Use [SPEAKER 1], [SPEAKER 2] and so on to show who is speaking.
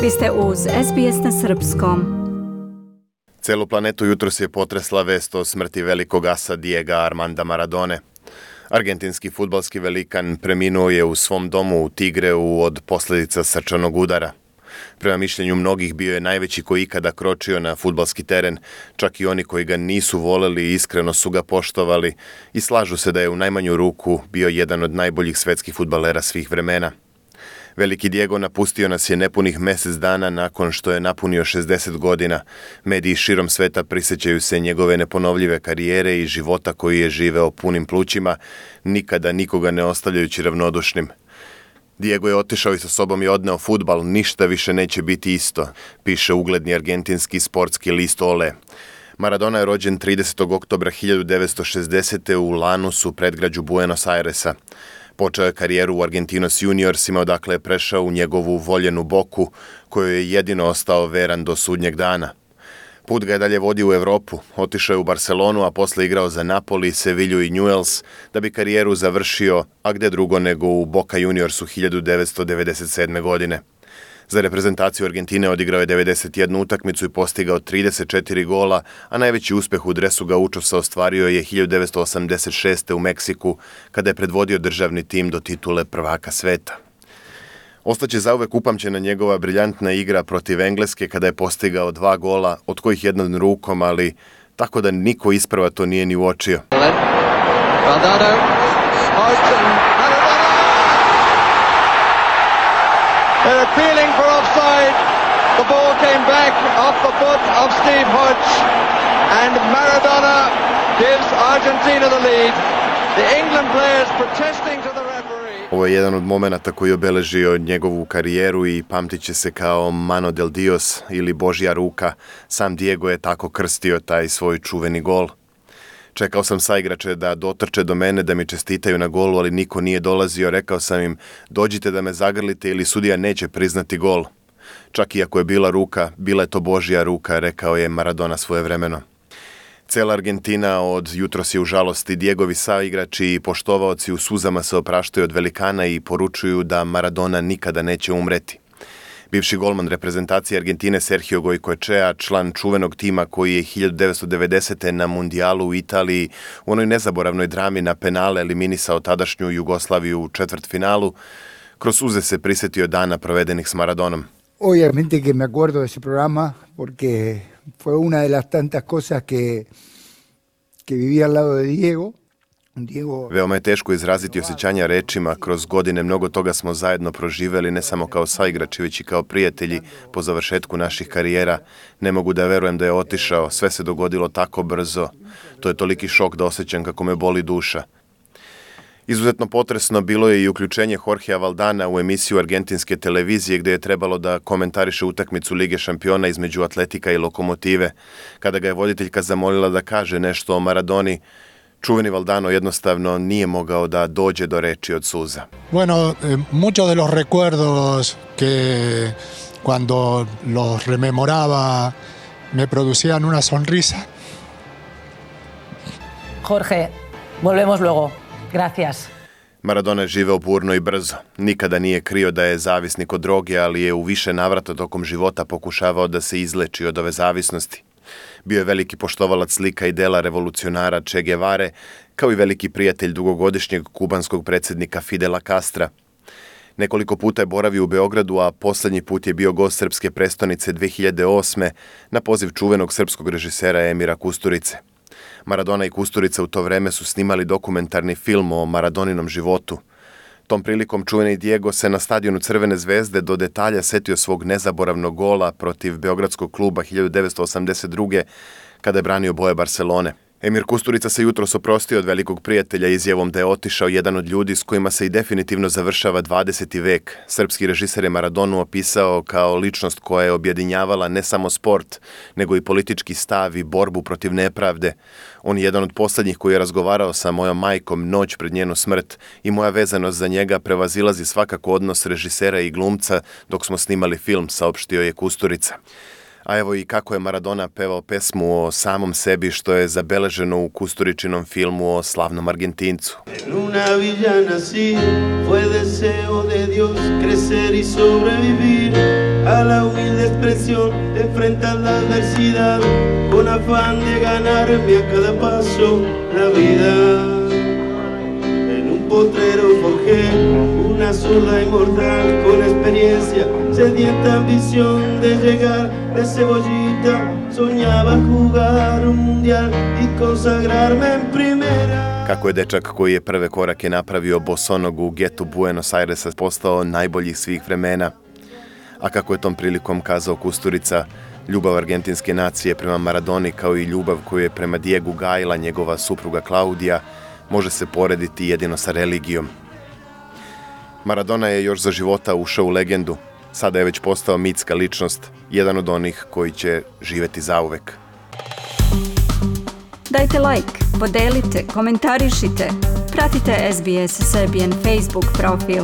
[SPEAKER 1] Vi ste uz SBS na srpskom.
[SPEAKER 2] Celu planetu jutros je potresla vest o smrti velikog asa Diega Armanda Maradone. Argentinski fudbalski velikan preminuo je u svom domu u Tigreu od posljedica srčanog udara. Prema mišljenju mnogih bio je najveći koji ikada kročio na fudbalski teren, čak i oni koji ga nisu voleli i iskreno su ga poštovali i slažu se da je u najmanju ruku bio jedan od najboljih svetskih fudbalera svih vremena. Veliki Diego napustio nas je nepunih mjesec dana nakon što je napunio 60 godina. Mediji širom sveta prisjećaju se njegove neponovljive karijere i života koji je živeo punim plućima, nikada nikoga ne ostavljajući ravnodušnim. Diego je otišao i sa sobom je odneo fudbal, ništa više neće biti isto, piše ugledni argentinski sportski list Ole. Maradona je rođen 30. oktobra 1960. u Lanusu, predgrađu Buenos Airesa. Počeo je karijeru u Argentinos Juniorsima, odakle je prešao u njegovu voljenu Boku, kojoj je jedino ostao veran do sudnjeg dana. Put ga je dalje vodio u Europu, otišao je u Barcelonu, a posle igrao za Napoli, Sevilju i Newell's, da bi karijeru završio, a gde drugo nego u Boca Juniorsu 1997. godine. Za reprezentaciju Argentine odigrao je 91 utakmicu i postigao 34 gola, a najveći uspeh u dresu Gaučosa ostvario je 1986. u Meksiku, kada je predvodio državni tim do titule prvaka sveta. Ostaće zauvek upamćena njegova briljantna igra protiv Engleske kada je postigao 2 gola, od kojih jedan rukom, ali tako da niko isprva to nije ni uočio.
[SPEAKER 3] They're appealing for offside. The ball came back off the foot of Steve Hodge, and Maradona gives Argentina the lead. The England players protesting to the referee.
[SPEAKER 2] Ovo je jedan od momenata koji je obeležio njegovu karijeru i pamtit će se kao Mano del Dios ili Božja ruka. Sam Diego je tako krstio taj svoj čuveni gol. Čekao sam saigrače da dotrče do mene, da mi čestitaju na golu, ali niko nije dolazio. Rekao sam im, dođite da me zagrlite ili sudija neće priznati gol. Čak i ako je bila ruka, bila je to Božja ruka, rekao je Maradona svojevremeno. Cela Argentina od jutros je u žalosti. Diegovi saigrači i poštovaoci u suzama se opraštaju od velikana i poručuju da Maradona nikada neće umreti. Bivši golman reprezentacije Argentine Sergio Goycoechea, član čuvenog tima koji je 1990. na mundijalu u Italiji u onoj nezaboravnoj drami na penale eliminisao tadašnju Jugoslaviju u četvrtfinalu, kroz suze se prisjetio dana provedenih s Maradonom.
[SPEAKER 4] Obviamente que me acuerdo de ese programa porque fue una de las tantas cosas que viví al lado de Diego.
[SPEAKER 2] Veoma je teško izraziti osjećanja rečima, kroz godine mnogo toga smo zajedno proživjeli, ne samo kao saigrači, već i kao prijatelji po završetku naših karijera. Ne mogu da verujem da je otišao, sve se dogodilo tako brzo. To je toliki šok da osjećam kako me boli duša. Izuzetno potresno bilo je i uključenje Jorgea Valdana u emisiju argentinske televizije gdje je trebalo da komentariše utakmicu Lige šampiona između Atletika i Lokomotive. Kada ga je voditeljka zamolila da kaže nešto o Maradoni, čuveni Valdano jednostavno nije mogao da dođe do reči od suza.
[SPEAKER 5] Bueno, muchos de los recuerdos que cuando los rememoraba me producían una sonrisa.
[SPEAKER 6] Jorge, volvemos luego. Gracias.
[SPEAKER 2] Maradona je živeo burno i brzo. Nikada nije krio da je zavisnik od droge, ali je u više navrata tokom života pokušavao da se izleči od ove zavisnosti. Bio je veliki poštovalac slika i dela revolucionara Che Guevare, kao i veliki prijatelj dugogodišnjeg kubanskog predsjednika Fidela Castra. Nekoliko puta je boravio u Beogradu, a posljednji put je bio gost srpske prestonice 2008. na poziv čuvenog srpskog režisera Emira Kusturice. Maradona i Kusturica u to vreme su snimali dokumentarni film o Maradoninom životu. Tom prilikom čuveni Diego se na stadionu Crvene zvezde do detalja setio svog nezaboravnog gola protiv beogradskog kluba 1982. kada je branio boje Barcelone. Emir Kusturica se jutros oprostio od velikog prijatelja izjavom da je otišao jedan od ljudi s kojima se i definitivno završava 20. vek. Srpski režiser je Maradonu opisao kao ličnost koja je objedinjavala ne samo sport, nego i politički stav i borbu protiv nepravde. On je jedan od posljednjih koji je razgovarao sa mojom majkom noć pred njenu smrt i moja vezanost za njega prevazilazi svakako odnos režisera i glumca dok smo snimali film, saopštio je Kusturica. A evo i kako je Maradona pevao pesmu o samom sebi, što je zabeleženo u Kusturičinom filmu o slavnom Argentincu.
[SPEAKER 7] En una villa nací, fue deseo de Dios crecer y sobrevivir a la humilde expresión, enfrentar la adversidad con afán de ganarme a cada paso la vida. En un potrero forjé una zurda inmortal con experiencia, sedienta ambición de llegar de cebollita, soñaba jugar un mundial y consagrarme en primera.
[SPEAKER 2] Kako je dečak koji je prve korake napravio bosonogu u getu Buenos Airesa postao najboljih svih vremena, a kako je tom prilikom kazao Kusturica, ljubav argentinske nacije prema Maradoni kao i ljubav koju je prema Diegu gajila njegova supruga Klaudija može se porediti jedino sa religijom. Maradona je još za života ušao u legendu, sada je već postao mitska ličnost, jedan od onih koji će živeti zauvek.
[SPEAKER 1] Dajte like, podelite, komentarišite, pratite SBS Serbian Facebook profil.